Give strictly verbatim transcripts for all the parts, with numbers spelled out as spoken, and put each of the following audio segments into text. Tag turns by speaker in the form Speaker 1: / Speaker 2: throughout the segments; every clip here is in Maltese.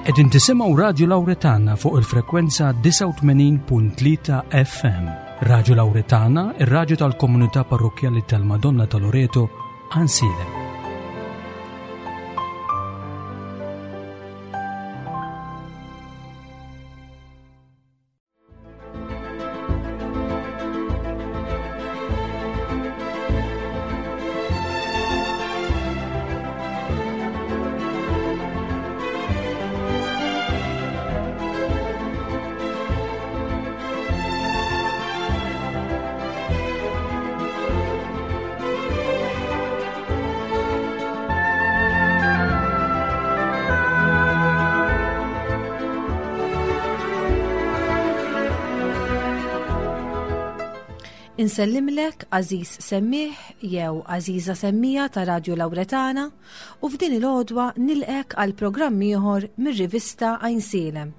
Speaker 1: Qegħdin tisimgħu Radio Lauretana fuq il-frekwenza disgħa u tmenin punt tlieta F M. Radio Lauretana, ir-radju tal-komunità parrokkjali tal-Madonna ta' Loreto, Għajnsielem.
Speaker 2: Insellimlek, għażiż semmiegħ jew għażiża semmiegħa ta' Radio Lauretana, u f'din il-għodwa nilqgħek għal programm ieħor mir-rivista Għajnsielem.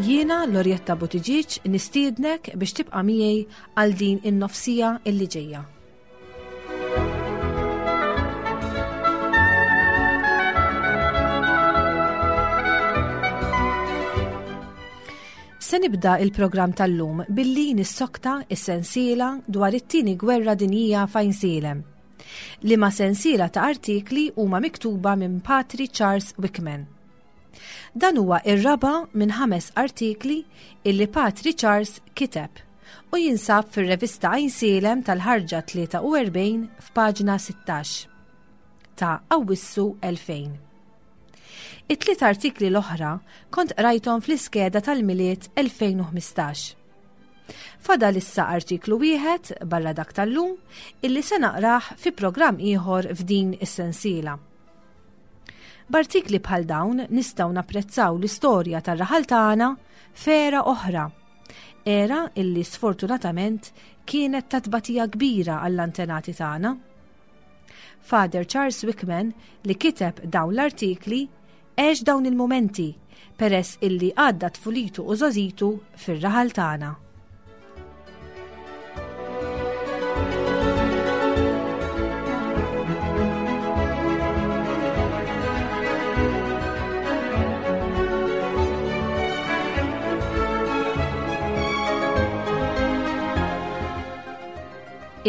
Speaker 2: Jiena Lorjetta Buttigieg nistiednek biex tibqa' miegħi għal din in-nofs siegħa illi ġejja. Se nibda il-programm tal-lum billi nissokta is-sensiela dwar it-tieni gwerra dinjija f'Għajnsielem. Liema sensiela ta' artikli huma miktuba minn Patri Charles Wickman. Dan huwa ir-raba' minn ħames artikli illi Patri Charles kiteb u jinsab fir-revista Għajnsielem tal-ħarġa tlieta u erbgħin f'paġna sittax ta' Awwissu elfejn. It-tliet artikli l-oħra kont qrajthom fl-iskeda tal-Milied elfejn u ħmistax. Fadal issa artiklu wieħed barra dak tal-lum illi se naqrah fi programm ieħor f'din is-sensiela. B'artikli bħal dawn nistgħu napprezzaw l-istorja tar-raħal tagħna f'era oħra. Era illi sfortunatament kienet ta' tbatija kbira għall-antenati tagħna. Father Charles Wickman, li kiteb dawn l-artikli, għex dawn il-momenti peress illi għadda tfulitu u żgħożitu fir-raħal tagħna.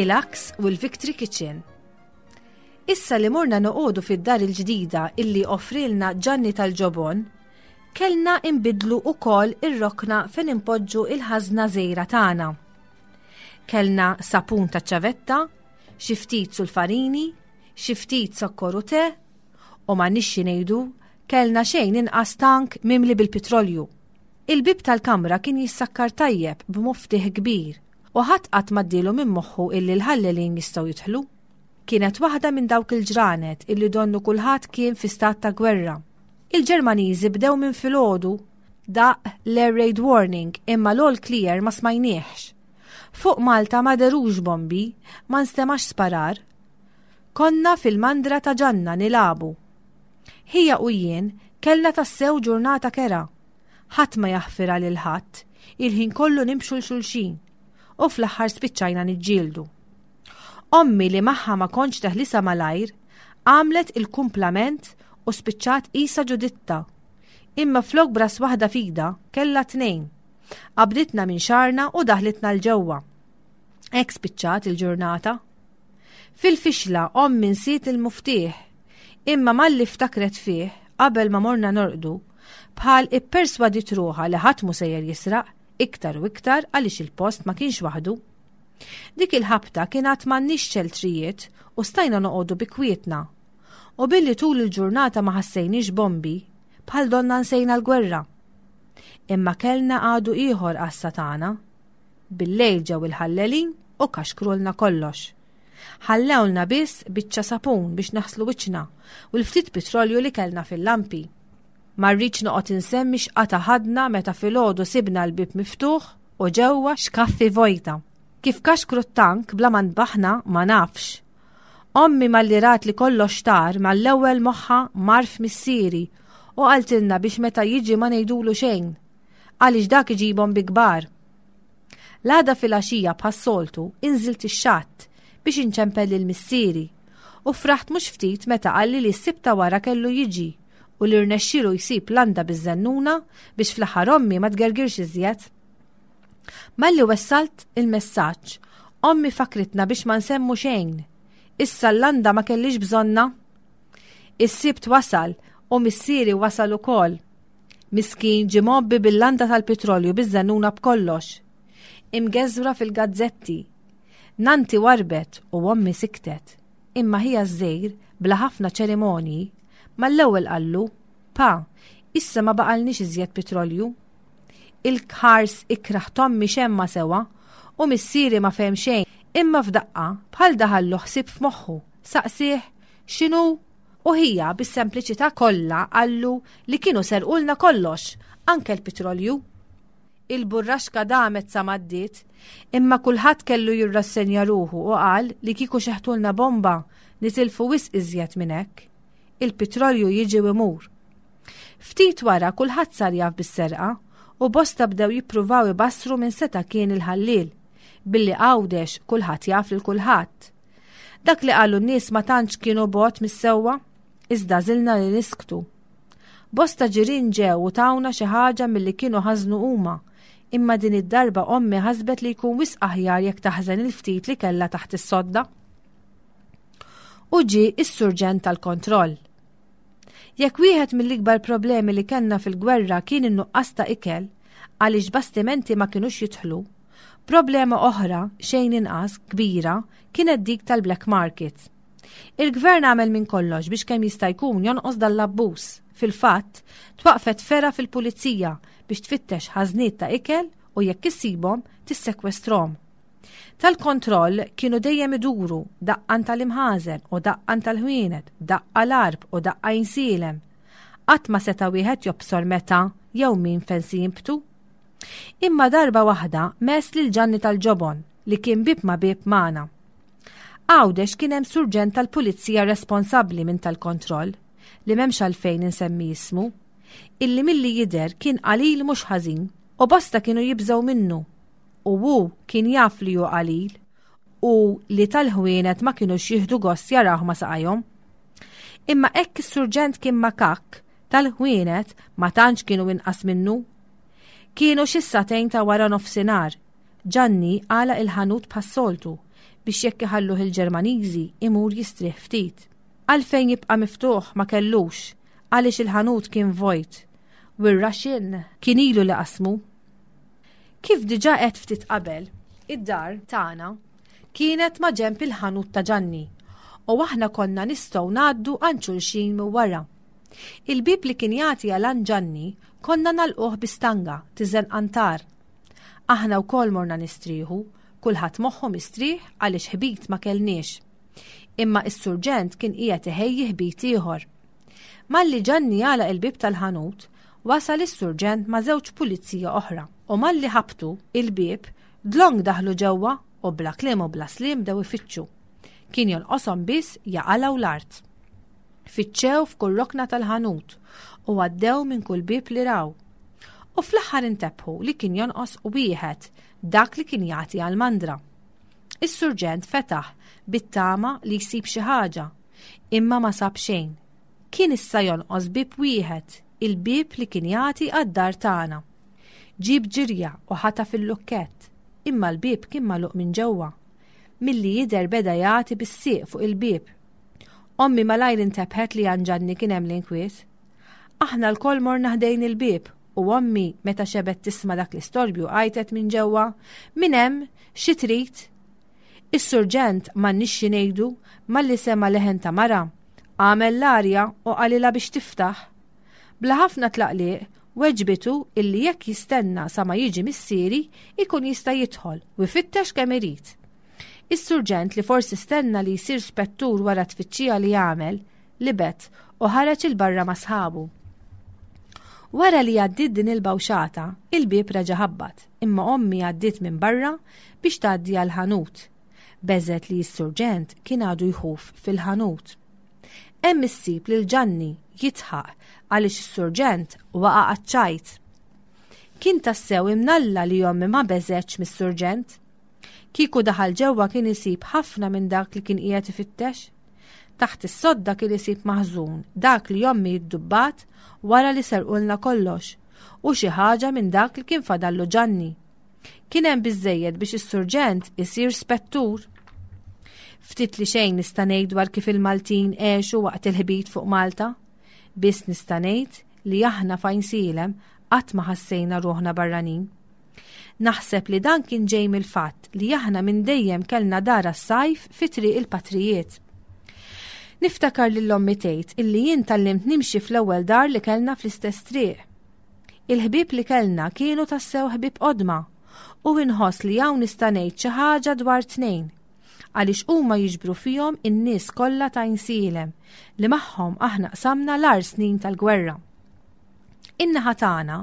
Speaker 2: Il-Axe u l-Victory Kitchen. Issa li morna noqogħdu fid-dar il-ġdida illi offrilna Ġanni tal-Ġobon, kellna imbidlu ukoll ir-rokna fejn impoġġu il-ħażna żgħira tagħna. Kellna sapun ta' ċavetta, xi ftit sulfarini, xi ftit sokkor u te, u ma nixxi ngħidu kellna xejn inqas tank mimli bil-petrolju. Il-bib tal-kamra kien jissakkar tajjeb b'muftieħ kbir u ħadd qatt m'għaddielu minn moħħu illi l-ħallelin jistgħu jidħlu. Kienet waħda minn dawk il-ġranet illi donnu kulħadd kien fi stat ta' gwerra. Il-Ġermaniżi bdew minn filgħodu, daqq l-air raid warning, imma l-all clear ma smajnieħx. Fuq Malta ma derux bombi, ma nstemax sparar. Konna fil-mandra ta' Ġanna nilagħbu. Ħija u jien kellna tassew ġurnata kerha. Ħadd ma jaħfira lil ħadd, il-ħin kollu nimxu 'l xulxin. U fl-aħħar spiċċajna niġġieldu. Ommi, li magħha ma kontx teħlisa malajr, għamlet il-kumplament u spiċċat qisha Ġuditta. Imma flok b'ras waħda f'idha, kellha tnejn. Qabditna minn xagħarna u daħlitna 'l ġewwa. Hekk spiċċat il-ġurnata. Fil-fixla ommi nsiet il-muftieħ, imma malli ftakret fih qabel ma morna norqdu, bħal ipperswadit ruħha li ħadd mu sejjer jisraq, iktar u iktar għaliex il-post ma kienx waħdu. Dik il-ħabta kien għad m'għandniex xeltrijiet u stajna noqogħdu bi kwietna. U billi tul il-ġurnata ma ħassejniex bombi, bħal donna nsejna l-gwerra. Imma kellna għadu ieħor għassa tagħna. Bil-lejl ġew il-ħallelin u kaxkrulna kollox. Ħallewlna biss biċċa sapun biex naħslu wiċċna u l-ftit petrolju li kellna fil-lampi. Ma rridx noqgħod insemmi x'qata ħadna meta filgħodu sibna l-bib miftuħ u ġewwa xkaffi vojta. Kif kaxkru t-tank bla ma nbaħna ma nafx. Ommi malli rat li kollox tar, mal-ewwel moħħa mar f'missieri u qaltilna biex meta jiġi ma ngħidulu xejn, għaliex dak iġibhom bi kbar. L-għada filgħaxija bħas-soltu inżilt ix-xatt biex inċempel lil missieri u fraħt mhux ftit meta qalli li s-Sibt ta' wara kellu jiġi u li rnexxielu jsib landa biż-żennuna biex fl-aħħar ommi ma tgergirx iżjed. Malli wessalt il-messaġġ, ommi fakritna biex ma nsemmu xejn. Issa l-landa ma kellix bżonna. Is-Sibt wasal u missieri wasal ukoll. Miskin ġie mgħobbi bil-landa tal-pitrolju biż-żennuna b'kollox. Imgeżwra fil-gazzetti. Nanti warbet u ommi siktet. Imma ħija ż-żgħir bla ħafna ċerimonji mal-ewwel qallu, "Pa, issa ma baqalniex iżjed pitrolju." Il-ħars ikrah t'ommi xemma sewa u missieri ma fehem xejn, imma f'daqqa bħal daħallu ħsieb f'moħħu, saqsih x'inhu u ħija bis-sempliċità kollha qallu li kienu serqulna kollox, anke l-pitrolju. Il-burraxka damet sa m'għaddiet, imma kulħadd kellu jirrassenja ruħu u qal li kieku xeħtulna bomba nitilfu wisq iżjed minn hekk. Il-pitrolju jiġi u imur. Ftit wara kulħadd sar jaf bis-serqa u bosta bdew jippruvaw ibassru min seta' kien il-ħalliel, billi Għawdex kulħadd jaf lil kulħadd. Dak li qalu n-nies ma tantx kienu bogħod mis-sewwa, iżda żilna li nisktu. Bosta ġirien ġew u tawna xi ħaġa milli kienu ħażnu huma, imma din id-darba ommi ħasbet li jkun wisq aħjar jekk taħżen il-ftit li kellha taħt is-sodda. U ġie is-surġent tal-kontroll. Jekk wieħed mill-ikbar problemi li kellna fil-gwerra kien in-nuqqas ta' ikel, għaliex bastimenti ma kinux jidħlu, problema oħra xejn inqas kbira kienet dik tal-black market. Il-gvern għamel minn kollox biex kemm jista' jkun jonqos dal-abbuż. Fil-fatt, twaqfet fergħa fil-pulizija biex tfittex ħażniet ta' ikel u jekk issibhom tissekwestrom. Tal-kontroll kienu dejjem iduru daqqan tal-imħażen u daqqan tal-ħwienet, daqqa l-Għarb u daqqa Għajnsielem. Qatt ma seta' wieħed jobsor meta jew min fejn se jinbtu. Imma darba waħda mess lil Ġanni tal-Ġobon li kien bib ma' bib magħna. Għawdex kien hemm surġent tal-pulizija responsabbli minn tal-kontroll li m'hemmx għalfejn insemmi ismu, illi milli jidher kien qalil mhux ħażin u bosta kienu jibżgħu minnu. U hu kien jaf li hu qalil u li tal-ħwienet ma kinux jieħdu gost jarawh ma saqajhom. Imma hekk is-surġent kien makak, tal-ħwienet ma tantx kienu inqas minnu. Kienu xi sagħtejn ta' wara nofsinhar. Ġanni għalaq il-ħanut bħas-soltu biex jekk iħalluh il-Ġermaniżi imur jistrieħ ftit. Għalfejn jibqa' miftuħ ma kellux, għaliex il-ħanut kien vojt. U r-Russian kien ilu li qasmu. Kif diġà qed ftit qabel, id-dar tagħna kienet ma' ġenb il-ħanut ta' Ġanni u aħna konna nistgħu ngħaddu għand xulxin minn wara. Il-bib li kien jagħti għal għand Ġanni konna nagħlquh bi stanga tiżen qantar. Aħna wkoll morna nistrieħu, kulħadd moħħu mistrieħ għaliex ħbit ma kellniex. Imma is-surġent kien qiegħed iħejji ħbit ieħor. Malli Ġanni għalaq il-bib tal-ħanut, wasal is-surġent ma' żewġ pulizija oħra u malli ħabtu il-bib dlonk daħlu ġewwa u bla kliem u bla sliem bdew ifittxu. Kien jonqoshom biss jaqalgħu l-art. Fittxew f'kull rokna tal-ħanut u għaddew minn kull bib li raw. U fl-aħħar intebħu li kien jonqos wieħed, dak li kien jagħti għall-mandra. Is-surġent fetaħ bit-tama li jsib xi ħaġa, imma ma sab xejn. Kien issa jonqos bib wieħed, il-bib li kien jagħti għad-dar tagħna. Ġib ġirja u ħata fil-lukkett, imma l-bib kien magħluq minn ġewwa. Milli jidher beda jagħti bis-sieq fuq il-bib. Ommi malajr intebħet li għand Ġanni kien hemm l-inkwiet. Aħna lkoll morna ħdejn il-bib u ommi meta xebet tisma' dak l-istorbju għajtet minn ġewwa, Min hemm? Xi trid? Is-surġent m'għandniex xi ngħidu malli sema' leħen ta' mara, għamel l-arja u qalilha biex tiftaħ. Bla ħafna tlaqliq, weġbitu illi jekk jistenna sa ma jiġi missieri ikun jista' jidħol u jfittex kemm irid. Is-surġent li forsi stenna li jsir spettur wara tfittxija li għamel, libet u ħareġ il-barra ma' sħabu. Wara li għaddiet din il-bawxata, il-bieb reġa' ħabbat, imma ommi għaddiet minn barra biex tgħaddi għall-ħanut. Beżet li s-surġent kien għadu jħuf fil-ħanut. Hemm issib lil Ġanni jidħaq għaliex is-surġent waqa' għaċ-ċajt. Kien tassew imnalla li ommi ma beżgħetx mis-surġent. Kieku daħal ġewwa kien isib ħafna minn dak li kien qiegħed ifittex. Taħt is-sodda kien isib maħżun dak li ommi ddubbat wara li serqulna kollox u xi ħaġa minn dak li kien fadallu Ġanni. Kien hemm biżejjed biex is-surġent isir spettur. Ftit li xejn nista' ngħid dwar kif il-Maltin għexu waqt il-ħbit fuq Malta. Biss nista' ngħid li aħna f'Għajnsielem qatt ma ħassejna ruħna barranin. Naħseb li dan kien ġej mill-fatt li aħna minn dejjem kellna dar għas-sajf fi Triq il-Patrijiet. Niftakar lil ommi tgħid illi jien tgħallimt nimxi fl-ewwel dar li kellna fl-istess triq. Il-ħbieb li kellna kienu tassew ħbieb qodma u inħoss li hawn nista' ngħid xi ħaġa dwar tnejn għaliex huma jiġbru fihom in-nies kollha ta' Għajnsielem li magħhom aħna qsamna l-agħar snin tal-gwerra. In-naħa tagħna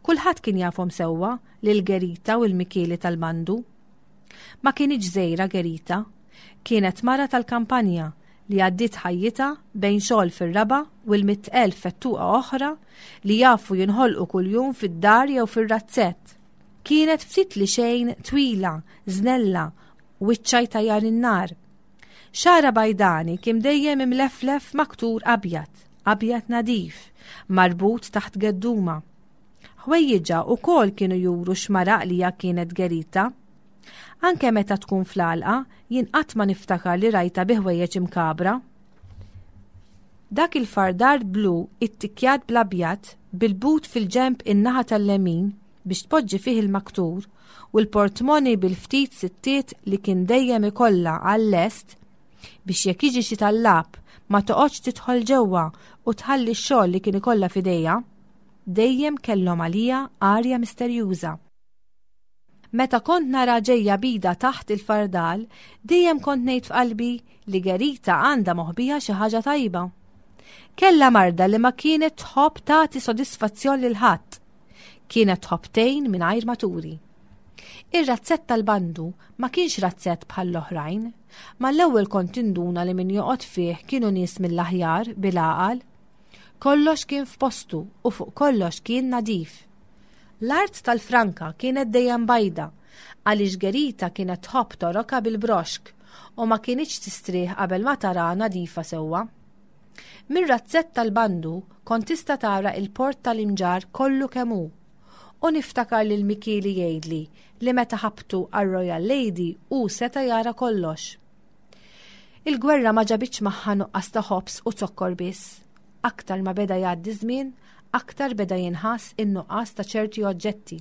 Speaker 2: kulħadd kien jafhom sewwa lil Gerita u l-Mikieli tal-Bandu. Ma kinitx żgħira Gerita, kienet mara tal-kampanja li għaddiet ħajjitha bejn xogħol fir-raba' u l-mitt elf fettuqa oħra li jafu jinħolqu kuljum fid-dar jew fir-razzett. Kienet ftit li xejn twila, żnella, wiċċha jtajjar in-nar. Xagħarha bajdani kien dejjem imleflef maktur abjad, abjad nadif, marbut taħt gedduma. Ħwejjiġha wkoll kienu juru x'mara għaqlija kienet Gerita. Anke meta tkun fl-għalqa, jien qatt ma niftakar li rajtha bi ħwejjeġ imkabra. Dak il-fardar blu ittikkjat bl-abjad, bil-but fil-ġenb in-naħa tal-lemin biex tpoġġi fih il-maktur u l-portmoni bil-ftit sittiet li kien dejjem ikollha għal-lest biex jekk jiġi xi tallab ma toqgħodx tidħol ġewwa u tħalli x-xogħol li kien ikollha f'idejha, dejjem kellhom għalija arja misterjuża. Meta kont nara ġejja bida taħt il-fardal, dejjem kont ngħid f'qalbi li Gerita għandha moħbija xi ħaġa tajba. Kellha marda li ma kienet tħobb tagħti sodisfazzjon lil ħadd. Kienet tħobb tgħin mingħajr ma turi. Ir-razzett tal-bandu ma kienx razzett bħall-oħrajn. Mal-ewwel kont tinduna li min joqgħod fih kienu nies mill-aħjar bil-għaqal. Kollox kien f'postu u fuq kollox kien nadif. L-art tal-franka kienet dejjem bajda għaliex Gerita kienet tħobb toroka bil-broxk u ma kinitx tistrieħ qabel ma tara nadifa sewwa. Mir-razzett tal-bandu kont tista' tara il-port tal-Imġarr kollu kemm hu. U niftakar lil Mikieli jgħidli li meta ħabtu għar-Royal Lady hu seta' jara kollox. Il-gwerra ma ġabitx magħha nuqqas ta' ħobż u zokkor biss. Aktar ma beda jgħaddi żmien, aktar beda jinħass in-nuqqas ta' ċerti oġġetti.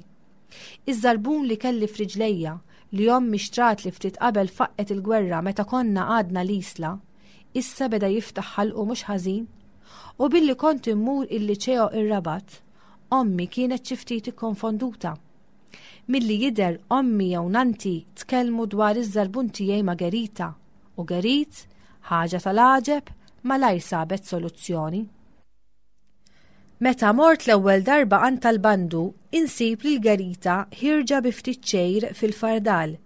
Speaker 2: Iż-żarbun li kelli f'riġlejja li ommi xtratli ftit qabel faqqet il-gwerra meta konna għadna l-Isla, issa beda jiftaħ ħalqu mhux ħażin. U billi kont immur il-liċeo ir-Rabat, ommi kienet xi ftit ikkonfonduta. Milli jidher ommi jew nanti tkellmu dwar iż-żarbun tiegħi ma' Gerita u Gerit, ħaġa tal-għaġeb, malajr sabet soluzzjoni. Meta mort l-ewwel darba għand tal-bandu, insib lil Gerita ħierġa bi ftit xejr fil-fardal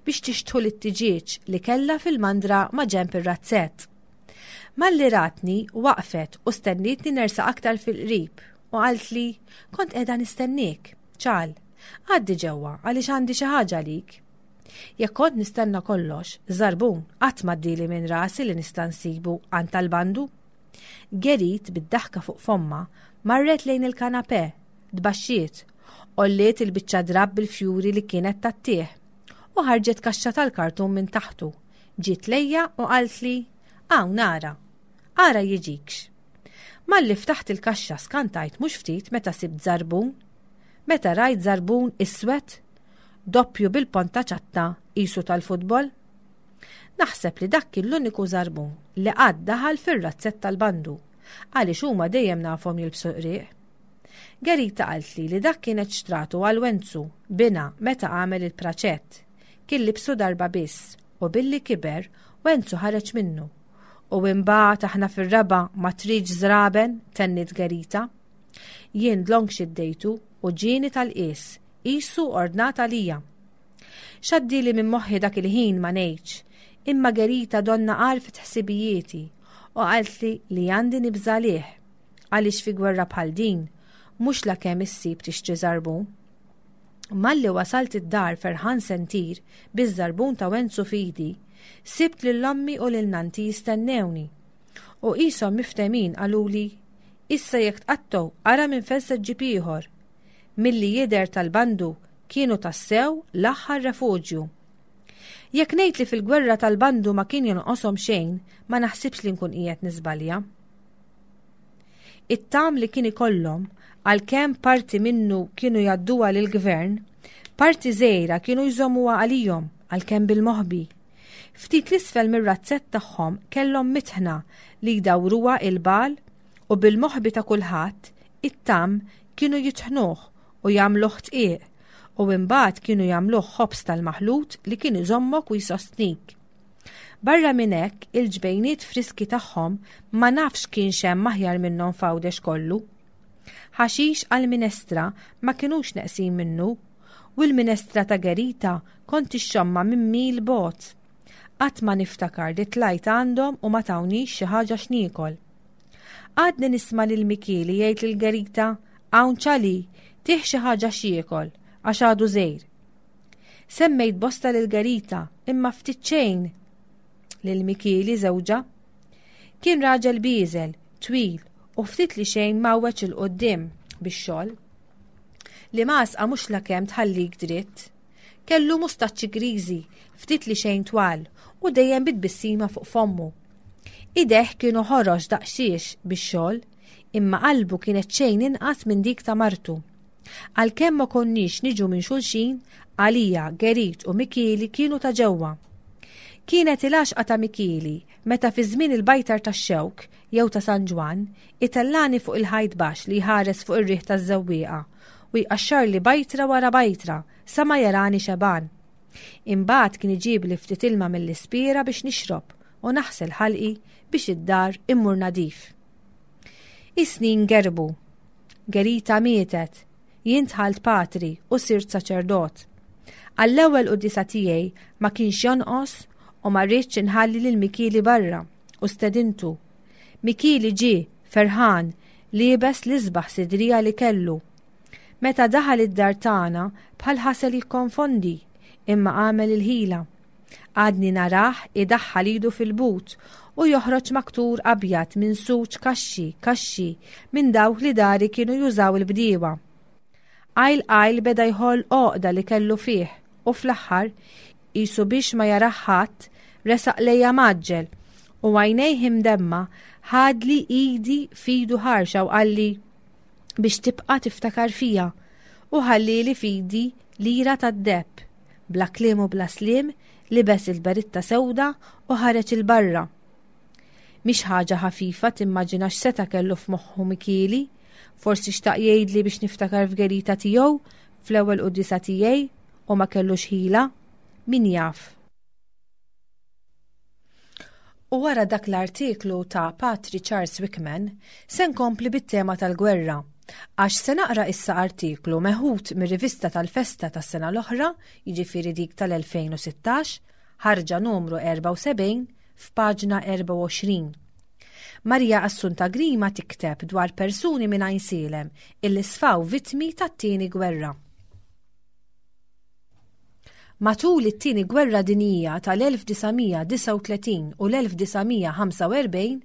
Speaker 2: biex tixtħu lit-tiġieġ li kellha fil-mandra ma' ġenb ir-razzett. Malli ratni waqfet u stennietni nersaq aktar fil-qrib u qaltli kont qiegħda nistenniek, ċal, għaddi ġewwa għaliex għandi xi ħaġa għalik. Jekk kont nistenna kollox, żarbun qatt m'għaddieli minn rasi li nista' nsibu għand tal-bandu. Gerit bid-daħka fuq fomma marret lejn il-kanapè, tbaxxiet, għolliet il-biċċa drapp bil-fjuri li kienet tattih u ħarġet kaxxa tal-kartun minn taħtu. Ġiet lejja u qaltli, hawn ara, ara jiġikx. Malli ftaħt il-kaxxa skantajt mhux ftit meta sibt żarbun. Meta rajt żarbun iswed, doppju bil-ponta ċatta qisu tal-futbol. Naħseb li dak kien l-uniku żarbun li qatt daħal fir-razzett tal-bandu, għaliex huma dejjem nafhom jilbsu qrieq. Gerita qaltli li dak kienet xtratu għal Wenzu bina meta għamel il-praċett. Kien libsu darba biss u billi kiber Wenzu ħareġ minnu. U imbagħad aħna fir-raba' ma tridx żraben, tennit Gerita. Jien dlonk xiddejtu u ġieni tal-qies, qisu ordnat għalija. X'għaddieli minn moħħi dak il-ħin ma ngħidx, imma Gerita donna għarfet ħsibijieti u qaltli li għandi nibża' għalih, għaliex fi gwerra bħal din mhux lakemm issib tixtri żarbun. Malli wasalt id-dar ferħan se ntir biż-żarbun ta' Wenzu f'idi, sibt lil ommi u lil nannti jistennewni. U qishom miftehmin qaluli, issa jekk tqattgħu ara minn fejn se ġġib ieħor. Milli jidher tal-bandu kienu tassew l-aħħar refuġju. Jekk ngħid li fil-gwerra tal-bandu ma kien jonqoshom xejn, ma naħsibx li nkun qiegħed niżbalja. It-tgħam li kien ikollhom, għalkemm parti minnu kienu jgħadduha lill-gvern, parti żgħira kienu jżommuha għalihom, għalkemm bil-moħbi. Ftit l-isfel mir-razzett tagħhom kellhom mitħna li jdawruha il-bagħal u bil-moħbi ta' kulħadd it-tgħam kienu jitħnuh u jagħmluh dqiq u imbagħad kienu jagħmluh ħobż tal-maħlut li kien iżommok u jsostnik. Barra minn hekk, il-ġbejniet friski tagħhom ma nafx kienx hemm aħjar minnhom f'Għawdex kollu. Ħaxix għal-minestra ma kinux neqsin minnu u l-minestra ta' Gerita kont ixxommha minn mil bogħod. Qatt ma niftakar li tlajt għandhom u ma tawnix xi ħaġa x'niekol. Għadni nisma' lil Mikieli jgħid lil Gerita, hawn ċali, tih xi ħaġa x'jiekol, għax għadu żgħir. Semmejt bosta lil Gerita, imma ftit xejn lil Mikieli żewġha. Kien raġel bieżel, twil u ftit li xejn mawweġ 'il quddiem bix-xogħol. Li masqa mhux lakemm tħallik dritt. Kellu mustaċċi griżi, ftit li xejn twal u dejjem bit-tbissima fuq fommu. Idejh kienu ħorox daqsxiex bix-xogħol, imma qalbu kienet xejn inqas minn dik ta' martu. Għalkemm ma konniex niġu minn xulxin, għalija Gerit u Mikieli kienu ta' ġewwa. Kienet il-għaxqa ta' Mikieli meta fi żmien il-bajtar tax-xewk jew ta' San Ġwann itellani fuq il-ħajt baxx li jħares fuq ir-riħ taż-żewwieqa u jqaxxarli bajtra wara bajtra sa ma jarani xebgħan. Imbagħad kien iġibli ftit ilma mill-ispira biex nixrob u naħsel ħalqi biex id-dar immur nadif. Is-snin gerbu. Gerita mietet. Jien dħalt patri u sirt saċerdot. Għall-ewwel quddiesa tiegħi ma kienx jonqos u ma rridx inħalli lil Mikieli barra u stedintu. Mikieli ġie ferħan liebes l-isbaħ sidrija li kellu. Meta daħal id-dar tagħna bħal ħasel jikkonfondi, imma għamel il-ħila. Għadni narah idaħħal idu fil-but u joħroġ maktur abjad minn suċ kaxxi, kaxxi minn dawk li dari kienu jużaw il-bdiewa. Qajl qajl beda jħoll għoqda li kellu fih u fl-aħħar qisu biex ma jarah ħadd resaq lejja mgħaġġel u għajnejh imdemma ħadli idi f'idu ħarxa u qalli biex tibqa' tiftakar fija u ħallili f'idi lira tad-deheb. Bla kliem u bla sliem libes il-beritta sewda u ħareġ il-barra. Mhix ħaġa ħafifa timmaġina x'seta' kellu f'moħħu Mikieli, forsi xtaq jgħidli biex niftakar f'gerita tiegħu fl-ewwel quddiesa tiegħi u ma kellux ħila, min jaf. U wara dak l-artiklu ta' Patri Charles Wickman, se nkompli bit-tema tal-gwerra, għax se naqra issa artiklu meħud mir-rivista tal-festa tas-sena l-oħra, jiġifieri dik tal-elfejn u sittax, ħarġa numru erbgħa u sebgħin, f'paġna erbgħa u għoxrin. Maria Assunta Grima tikteb dwar persuni minn Għajnsielem illi sfaw vittmi tat-tieni gwerra. Matul it-tieni gwerra dinjija tal-elf disa' mija disgħa u tletin u l-elf disa' mija ħamsa u erbgħin,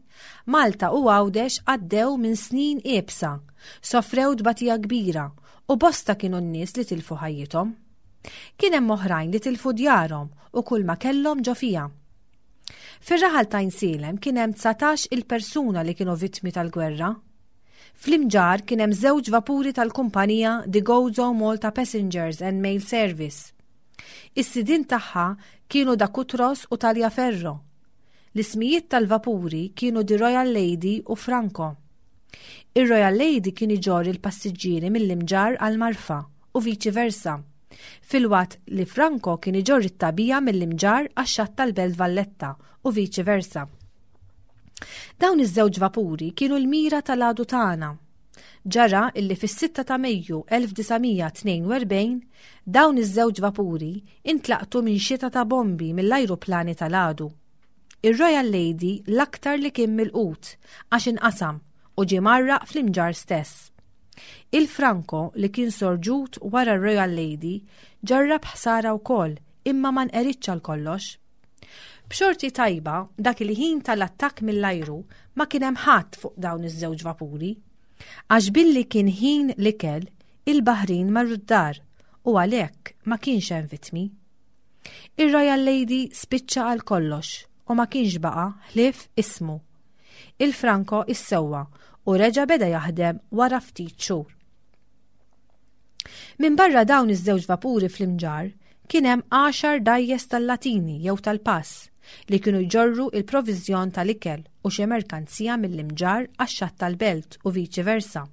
Speaker 2: Malta u Għawdex għaddew minn snin iebsa, sofrew tbatija kbira u bosta kienu n-nies li tilfu ħajjithom. Kien hemm oħrajn li tilfu djarhom u kull ma kellhom ġo fiha. Fir-raħal ta' Għajnsielem kien hemm dsatax il-persuna li kienu vittmi tal-gwerra. Fl-Imġarr kien hemm żewġ vapuri tal-kumpanija The Gozo Malta Passengers and Mail Service. Is-sidien tagħha kienu da Cutros u Taliaferro. L-ismijiet tal-vapuri kienu The Royal Lady u Franco. Ir-Royal Lady kien iġorr il-passiġġieri mill-Imġarr għal Marfa u viċi versa, filwaqt li Franco kien iġorr it-tagħbija mill-Imġarr għax-xatt tal-Belt Valletta u viċi versa. Dawn iż-żewġ vapuri kienu l-mira tal-għadu tagħna. Ġara illi fis-sitta ta' Mejju elf disa' mija tnejn u erbgħin dawn iż-żewġ vapuri intlaqtu minn xita ta' bombi mill-ajruplani tal-għadu. Ir-Royal Lady l-aktar li kien milqut għax inqasam u ġie mgħarraq fl-Imġarr stess. Il-Franco li kien sorġut wara r-Royal Lady ġarrab ħsara wkoll imma ma nqeridx għal kollox. B'xorti tajba, dak il-ħin tal-attakk mill-ajru ma kien hemm ħadd fuq dawn iż-żewġ vapuri. Għax billi kien ħin l-ikel, il-baħrin marru d-dar u għalhekk ma kienx hemm vittmi. Ir-Royal Lady spiċċa għal kollox u ma kienx baqa' ħlief ismu. Il-Franco issewwa u reġa' beda jaħdem wara ftit xhur. Minn barra dawn iż-żewġ vapuri fl-Imġarr kien hemm għaxar dgħajjes tal-Latini jew tal-Pass li kienu jġorru il-proviżjon tal-ikel u xi merkanzija mill-Imġarr għax-xatt tal-Belt u viċi versa.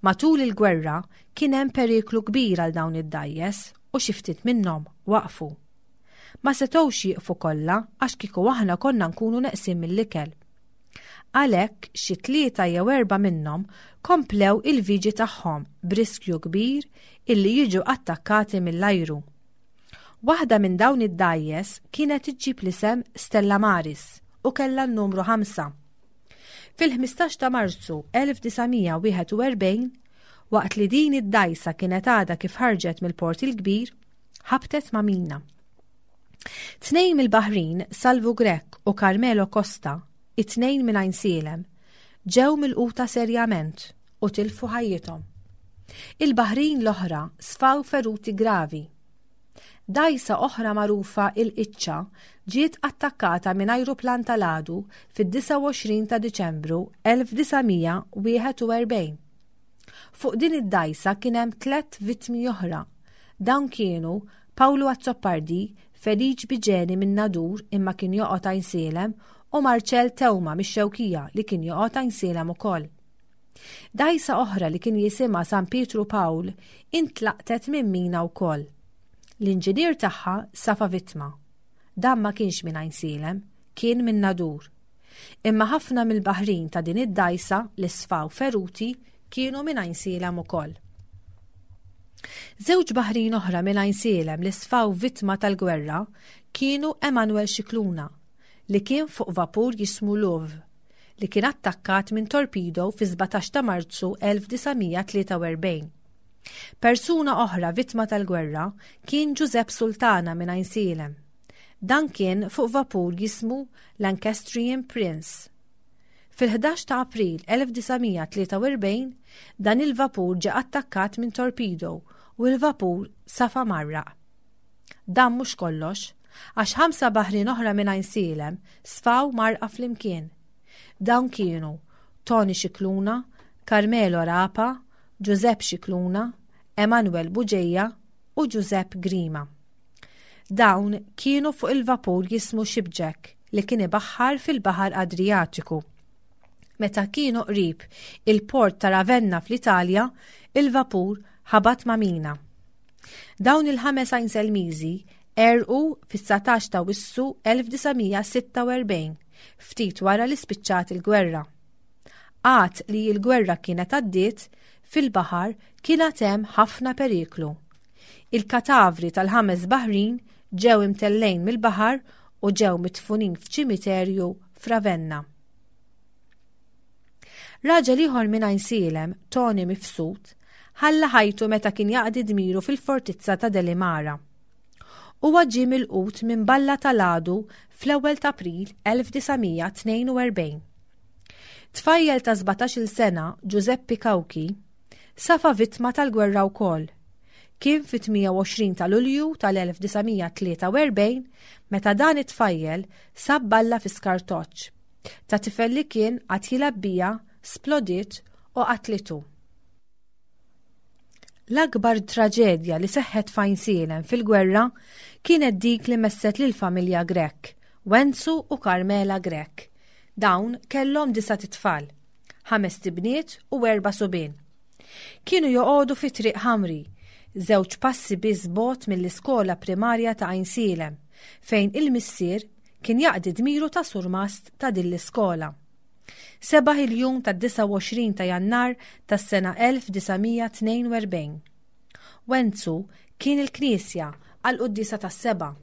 Speaker 2: Matul il-gwerra kien hemm periklu kbir għal dawn id-dgħajjes u xi ftit minnhom waqfu. Ma setgħux jieqfu kollha għax kieku aħna konna nkunu neqsin mill-ikel. Għalhekk xi tlieta jew erba' minnhom komplew il-viġi tagħhom b'riskju kbir illi jiġu attakkati mill-ajru. Waħda minn dawn id-dgħajjes kienet iġġib l-isem Stella Maris u kellha n-numru ħamsa. Fil-ħmistax ta' Marzu elf disa' mija wieħed u erbgħin, waqt li din id-dgħajsa kienet għadha kif ħarġet mill-Port il-Kbir, ħabtet ma' mina. Tnejn mill-baħrin, Salvu Grech u Carmelo Costa, it-tnejn minn Għajnsielem, ġew milquta serjament u tilfu ħajjithom. Il-baħrin l-oħra sfaw feruti gravi. Dgħajsa oħra magħrufa il-Iċċa ġiet attakkata minn ajruplan tal-għadu fid-disgħa u għoxrin ta' Diċembru elf disa' mija wieħed u erbgħin. Fuq din id-dgħajsa kien hemm tliet vittmi oħra. Dawn kienu Paolo Azzopardi, Feliċ Biġeni minn Nadur imma kien joqgħod Għajnsielem u Marcel Teuma mix-Xewkija li kien joqgħod Għajnsielem ukoll. Dgħajsa oħra li kien jisimha San Pietru Pawl intlaqtet minn mina wkoll. L-inġinier tagħha safa vittma. Dan ma kienx minn Għajnsielem, kien minn Nadur. Imma ħafna mill-baħrin ta' din id-dgħajsa li sfaw feruti kienu minn Għajnsielem ukoll. Żewġ baħrin oħra minn Għajnsielem li sfaw vittma tal-gwerra kienu Emanuel Scicluna, li kien fuq vapur jismu Louvre, li kien attakkat minn torpedo fi sbatax ta' Marzu elf disa' mija tlieta u erbgħin. Persuna oħra vittma tal-gwerra kien Giuseppe Sultana minn Għajnsielem. Dan kien fuq vapur jismu Lancastrian Prince. Fil-ħdax ta' April elf disa' mija tlieta u erbgħin dan il-vapur ġie attakkat minn torpedo u l-vapur safa marraq. Dan mhux kollox, għax ħamsa baħrin oħra minn Għajnsielem sfaw marqa flimkien. Dawn kienu Tony Scicluna, Carmelo Rapa, Giuseppe Scicluna, Emanuel Bugeja u Giuseppe Grima. Dawn kienu fuq il-vapur jismu Shipjack li kien ibaħħar fil-Baħar Adriatiku. Meta kienu qrib il-port ta' Ravenna fl-Italja, il-vapur ħabat ma' mina. Dawn il-ħames Għajnselmiżi għerqu fis-satax ta' Wissu elf disa' mija sitta u erbgħin, ftit wara li spiċċat il-gwerra. Għad li l-gwerra kienet għaddiet, fil-baħar kien għad hemm ħafna periklu. Il-katavri tal-ħames baħrin ġew imtellejn mill-baħar u ġew mitfunin f'ċimiterju f'Ravenna. Raġel ieħor minn Għajnsielem, Tony Mifsud, ħalla ħajtu meta kien jaqdi dmiru fil-fortizza ta' Delimara. Huwa ġie milqut minn balla tal-għadu fl-ewwel ta' April elf disa' mija tnejn u erbgħin. Tfajjel ta' sbatax-il sena, Giuseppe Cauchi, safa vittma tal-gwerra wkoll. Kien fit-tmija u għoxrin ta' Lulju tal-elf disa' mija tlieta u erbgħin meta dan it-tfajjel sab balla fi skartoċċ ta' tifel li kien għad jilgħab bija splodiet u qatlitu. L-akbar traġedja li seħħet f'Għajnsielem fil-gwerra kienet dik li messet lill-familja Grech, Wenzu u Carmela Grech. Dawn kellhom disa' titfal, ħames tibniet u erba' subien. Kienu joqogħdu fi Triq Ħamri, żewġ passi biss bogħod mill-iskola primarja ta' Għajnsielem, fejn il-missier kien jaqdi dmiru ta' surmast ta' din l-iskola. Sebaħ il-jum ta' disgħa u għoxrin ta' Jannar tas-sena elf disa' mija tnejn u erbgħin. Wenzu kien il-knisja għal quddiesa tas-seba'.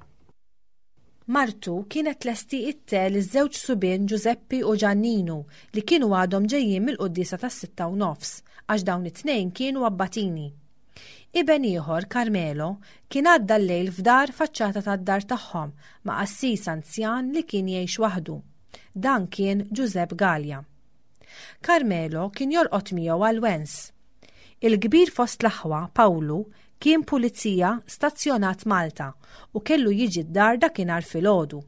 Speaker 2: Martu kienet tlesti it-te li żewġ subien Giuseppi u Giannino li kienu għadhom ġejjin mill-quddiesa tas-sitta u nofs għax dawn it-tnejn kienu abbatini. Iben ieħor, Carmelo, kien għadda l-lejl f'dar faċċata tad-dar tagħhom ma' qassis anzjan li kien jgħix waħdu. Dan kien Giuseppe Gallia. Carmelo kien jorqod miegħu għal wens. Il-kbir fost l-aħwa, Pawlu, kien pulizija stazzjonat Malta u kellu jiġi d-dar dakinhar filgħodu.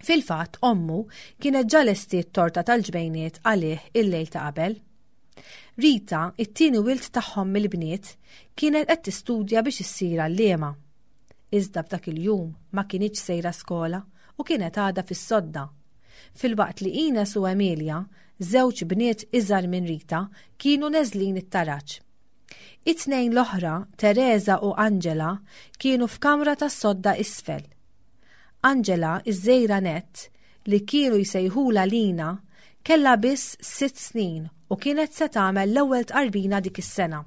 Speaker 2: Fil-fatt, ommu kienet ġa lestiet torta tal-ġbejniet għalih il-lejl ta' qabel. Rita, it-tieni wild tagħhom mill-bniet, kienet qed tistudja biex issir għalliema. Iżda f'dak il-jum ma kinitx sejra skola u kienet għadha fis-sodda. Filwaqt li Ines u Emilia, żewġ bniet iżgħar minn Rita, kienu neżlin it-taraġ. It-tnejn l-oħra, Teresa u Angela, kienu f'kamra tas-sodda isfel. Angela, iż-żgħira nett, li kienu jsejħula Lina, kellha biss sitt snin u kienet se tagħmel l-ewwel tqarbina dik is-sena.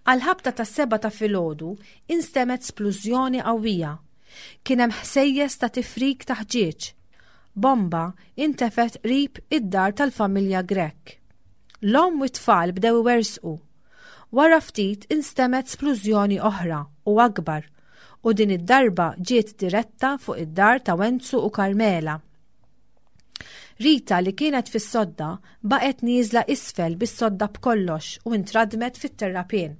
Speaker 2: Għal-ħabta tas-sebgħa ta' filgħodu instemgħet splużjoni qawwija. Kien hemm ħsejjes ta' tifrik ta' ħġieġ. Bomba intefet qrib id-dar tal-familja Grech. L-omm u t-tfal bdew iwersqu. Wara ftit instemgħet splużjoni oħra u akbar u din id-darba ġiet diretta fuq id-dar ta' Wenzu u Carmela. Rita li kienet fis-sodda baqgħet nieżla isfel bis-sodda b'kollox u intradmet fit-terrapien.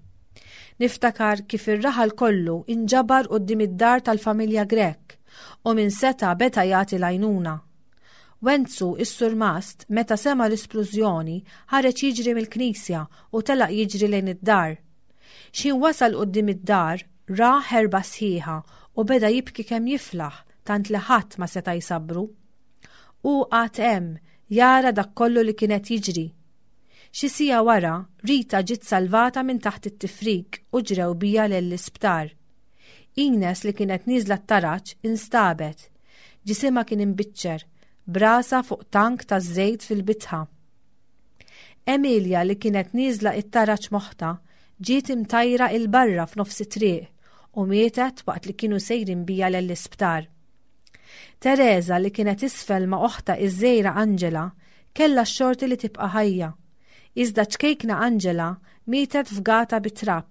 Speaker 2: Niftakar kif ir-raħal kollu inġabar quddiem id-dar tal-familja Grech u min seta' beda jagħti l-għajnuna. Wenzu is-surmast meta sema l-isplużjoni ħareġ jiġri mill-knisja u telaq jiġri lejn id-dar. X'ħin wasal quddiem id-dar ra ħerba sħiħa u beda jibki kemm jiflaħ tant li ħadd ma seta' jsabru. U qagħad hemm jara dak kollu li kienet jiġri. Xi siegħa wara, Rita ġiet salvata minn taħt it-tifrik u ġrew biha lill-isptar. Ines li kienet nieżla t-taraġ instabet. Ġisimha kien imbiċċer, b'rasha fuq tank ta' żejt fil-bitħa. Emilia li kienet nieżla it-taraġ m'oħtha ġiet imtajra 'il barra f'nofs it-triq u mietet waqt li kienu sejrin biha lill-isptar. Teresa li kienet isfel ma' oħtha iż-żgħira Angela kellha x-xorti li tibqa' ħajja. Iżda ċkejkna Angela mietet fgata bit-trab.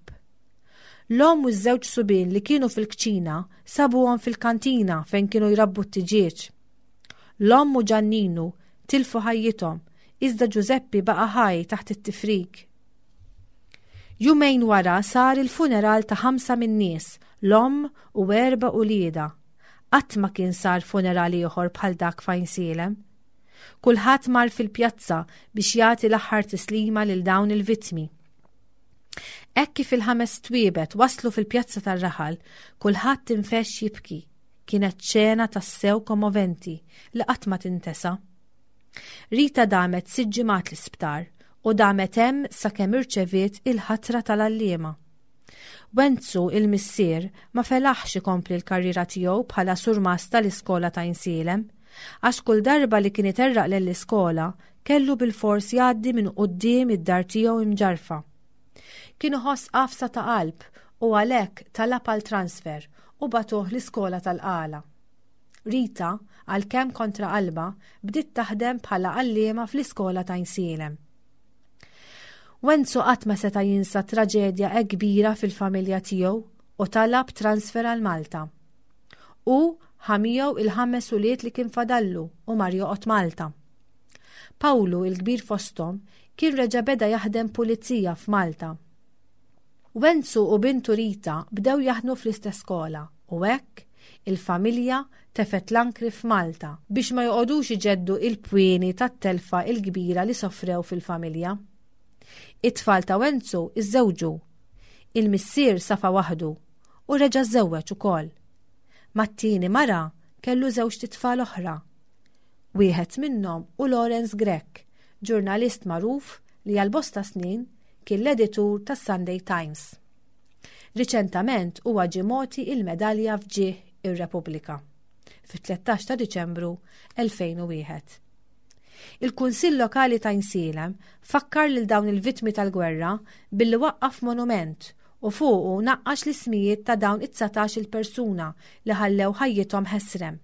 Speaker 2: L-omm u ż-żewġ subien li kienu fil-kċina sabuhom fil-kantina fejn kienu jrabbu t-tiġieġ. L-omm u Ġanninu tilfu ħajjithom, iżda Giuseppi baqa' ħaj taħt it-tifrik. Jumejn wara sar il-funeral ta' ħamsa min-nies, l-omm u erba' uliedha. Qatt ma kien sar funeral ieħor bħal dak f'Għajnsielem. Kulħadd mar fil-pjazza biex jagħti l-aħħar tislima lil dawn il-vittmi. Hekk kif il-ħames twiebet waslu fil-pjazza tar-raħal, kulħadd infexx jibki. Kienet xena tassew kommoventi li qatt ma tintesa. Rita damet sitt ġimgħat l-isptar u damet hemm sakemm irċeviet il-ħatra tal-għalliema. Wenzu il-missier ma felaħx ikompli l-karriera tiegħu bħala surmast tal-iskola ta' Għajnsielem, għax kull darba li kien iterraq lill-iskola kellu bil-fors jgħaddi minn quddiem id-dar tiegħu imġarfa. Kien iħoss qafsa ta' qalb u għalhekk talab għal transfer u bagħtuh l-iskola tal-Qala. Rita, għalkemm kontra qalba, bdiet taħdem bħala għalliema fl-iskola ta' Għajnsielem. Wenzu qatt ma seta' jinsa traġedja hekk kbira fil-familja tiegħu u talab transfer għal Malta. U ħa miegħu il-ħames ulied li kien fadallu u mar joqgħod Malta. Pawlu, il-kbir fosthom, kien reġa' beda jaħdem pulizija f'Malta. Wenzu u bintu Rita bdew jaħdmu fl-istess skola u hekk il-familja tefet l-ankri f'Malta biex ma joqogħdux iġeddu il-pwieni tat-telfa il-kbira li sofrew fil-familja. It-tfal ta' Wenzu iżżewġu. Il-missier safa waħdu u reġa' żżewweġ ukoll. Mat-tieni mara kellu żewġt itfal oħra. Wieħed minnhom hu Lawrence Grech, ġurnalist magħruf li għal bosta snin kien l-editur tas-Sunday Times. Riċentament huwa ġie mogħti il-medalja f'ġieħ ir-Repubblika fit-tlettax ta' Diċembru elfejn u wieħed. Il-Kunsill Lokali ta' Għajnsielem fakkar lil dawn il-vittmi tal-gwerra billi waqqaf monument u fuqu naqqax l-ismijiet ta' dawn it-dsatax il-persuna li ħallew ħajjithom ħesrem.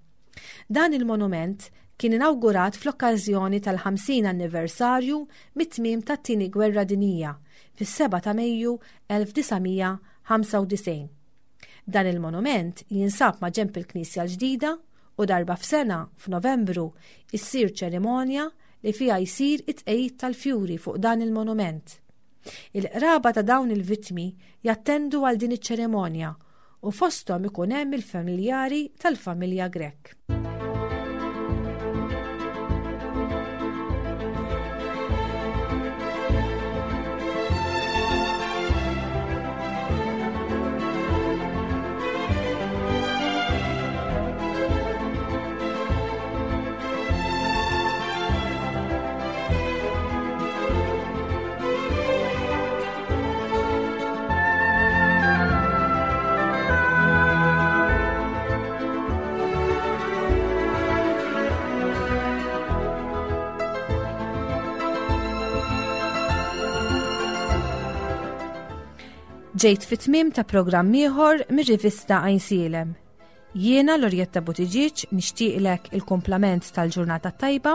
Speaker 2: Dan il-monument kien inawgurat fl-okkażjoni tal-ħamsin anniversarju mit-tmiem tat-Tieni Gwerra Dinjija fis-sebgħa ta' Mejju elf disa' mija ħamsa u disgħin. Dan il-monument jinsab ma' ġenb il-Knisja l-ġdida u darba f'sena, f'Novembru, issir ċerimonja li fiha jsir it-tqegħid tal-fjuri fuq dan il-monument. Il-qraba ta' dawn il-vittmi jattendu għal din iċ-ċerimonja u fosthom ikun hemm il-familjari tal-familja Grech. Ġejt fit-tmiem ta' programm ieħor mir-rivista Għajnsielem. Jiena Lorjetta Buttigieg nixtieqlek il-kumplament tal-ġurnata tajba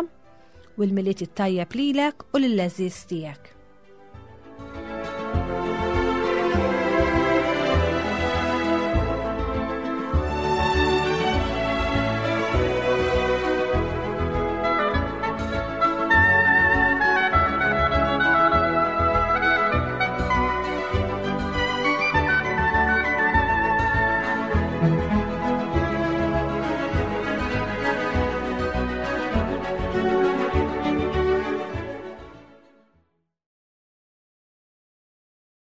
Speaker 2: u l-Milied it-tajjeb lilek u lill-għeżież tiegħek.